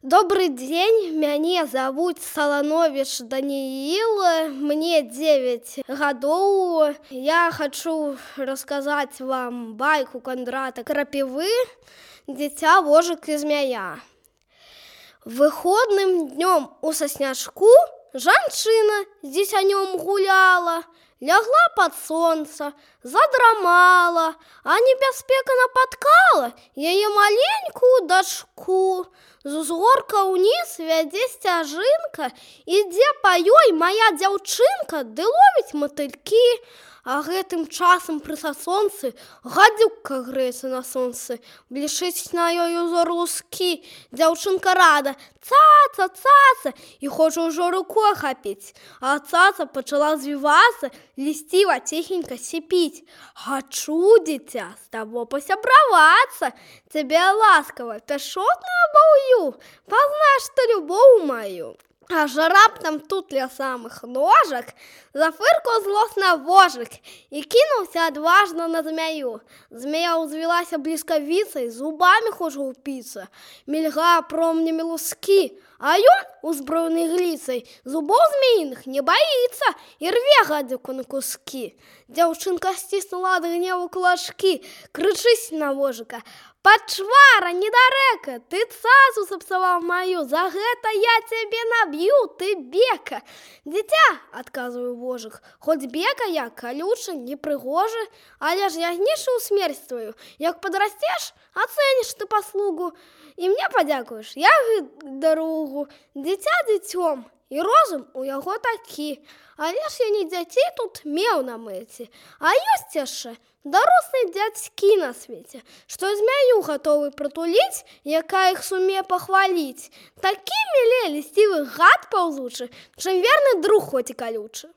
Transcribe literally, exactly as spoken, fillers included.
Добрый дзень, мяне завуць Салановіч Данііл, мне девять гадоў. Я хочу расказаць вам байку Кондрата Крапівы «Дзіця, вожык і змяя». Выходным днём у сасняшку жанчына з дзіцянём гуляла, лягла под сонца, задрамала, а небяспека напаткала яе маленькую дачку. З узгорка ўніз вядзе сцяжынка, ідзе па ёй мая дзяўчынка, ды ловіць матылькі. А гэтым часам пры сасонцы гадзюкка грэецца на сонцы, блішыць на ёй узор лускі. Дзяўчынка рада: цаца, цаца, і хоча ўжо рукой хапіць. А цаца пачала звівацца, лісціва ціхенька сіпіць: «Хачу, дзіця, з табой пасябравацца, цябе ласкава пяшотную абаўю, пазнаеш ты любоў маю». Аж раптам тут ля самых ножак зафыркаў злосна вожык і кінуўся адважна на змяю. Змея ўзвілася бліскавіцай, зубамі хоча ўпіцца, мільгае промнямі лускі, а ён, узброены гліцай, зубоў змеіных не баіцца і рве гадзюку на кускі. Дзяўчынка сціснула ад гневу кулачкі, крычыць на вожыка: «Пачвара, недарэка, ты цацу сапсаваў маю, за гэта я цябе наб'ю, ты бека». «Дзіця, — адказваю вожык, — хоць бека я, калюча, непрыгожа, але ж я гнішу ў смерць тваю. Як падрасцеш, ацэніш ты паслугу і мне падзякуеш, я даругу. Дзіця дзіцём, і розум у яго такі, але ж я не дзяцей тут меў на мэце, а ёсць яшчэ дарослыя дзядзькі на свеце, што змяю гатовы прытуліць, якая іх сумее пахваліць. Такі мілей лісцівы гад паўзучы, чым верны друг хоць і калючы».